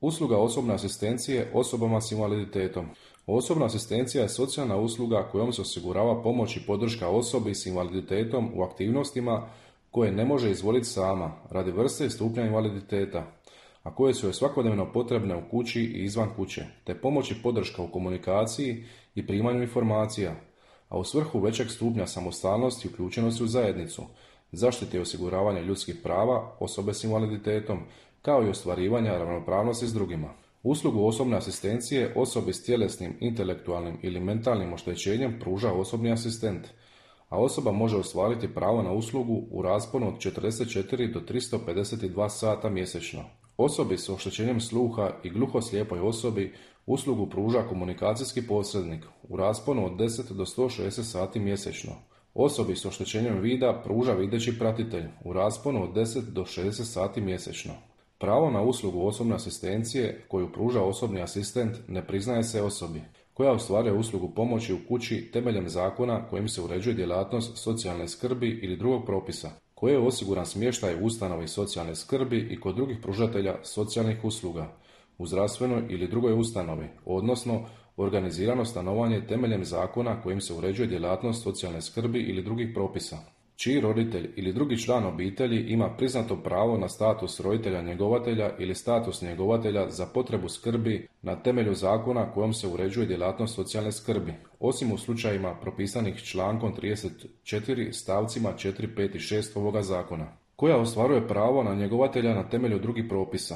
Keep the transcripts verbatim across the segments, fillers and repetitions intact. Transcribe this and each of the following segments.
Usluga osobne asistencije osobama s invaliditetom. Osobna asistencija je socijalna usluga kojom se osigurava pomoć i podrška osobi s invaliditetom u aktivnostima koje ne može izvoliti sama radi vrste i stupnja invaliditeta, a koje su joj svakodnevno potrebne u kući i izvan kuće, te pomoć i podrška u komunikaciji i primanju informacija, a u svrhu većeg stupnja samostalnosti i uključenosti u zajednicu, zaštite i osiguravanja ljudskih prava osobe s invaliditetom, kao i ostvarivanja ravnopravnosti s drugima. Uslugu osobne asistencije osobi s tjelesnim, intelektualnim ili mentalnim oštećenjem pruža osobni asistent, a osoba može ostvariti pravo na uslugu u rasponu od četrdeset četiri do tristo pedeset dva sata mjesečno. Osobi s oštećenjem sluha i gluhoslijepoj osobi uslugu pruža komunikacijski posrednik u rasponu od deset do sto šezdeset sati mjesečno. Osobi s oštećenjem vida pruža videći pratitelj u rasponu od deset do šezdeset sati mjesečno. Pravo na uslugu osobne asistencije koju pruža osobni asistent ne priznaje se osobi koja ostvaruje uslugu pomoći u kući temeljem zakona kojim se uređuje djelatnost socijalne skrbi ili drugog propisa, koje je osiguran smještaj u ustanovi socijalne skrbi i kod drugih pružatelja socijalnih usluga, u zdravstvenoj ili drugoj ustanovi, odnosno organizirano stanovanje temeljem zakona kojim se uređuje djelatnost socijalne skrbi ili drugih propisa, čiji roditelj ili drugi član obitelji ima priznato pravo na status roditelja njegovatelja ili status njegovatelja za potrebu skrbi na temelju zakona kojom se uređuje djelatnost socijalne skrbi, osim u slučajima propisanih člankom trideset četiri stavcima četiri, pet i šest ovoga zakona, koja ostvaruje pravo na njegovatelja na temelju drugih propisa,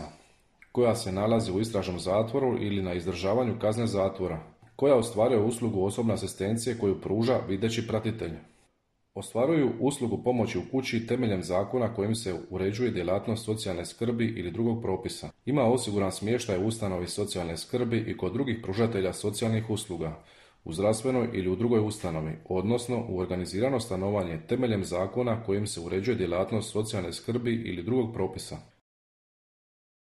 koja se nalazi u istražnom zatvoru ili na izdržavanju kazne zatvora, koja ostvaruje uslugu osobne asistencije koju pruža videći pratitelj. Ostvaruju uslugu pomoći u kući temeljem zakona kojim se uređuje djelatnost socijalne skrbi ili drugog propisa. Ima osiguran smještaj u ustanovi socijalne skrbi i kod drugih pružatelja socijalnih usluga, u zdravstvenoj ili u drugoj ustanovi, odnosno u organizirano stanovanje temeljem zakona kojim se uređuje djelatnost socijalne skrbi ili drugog propisa.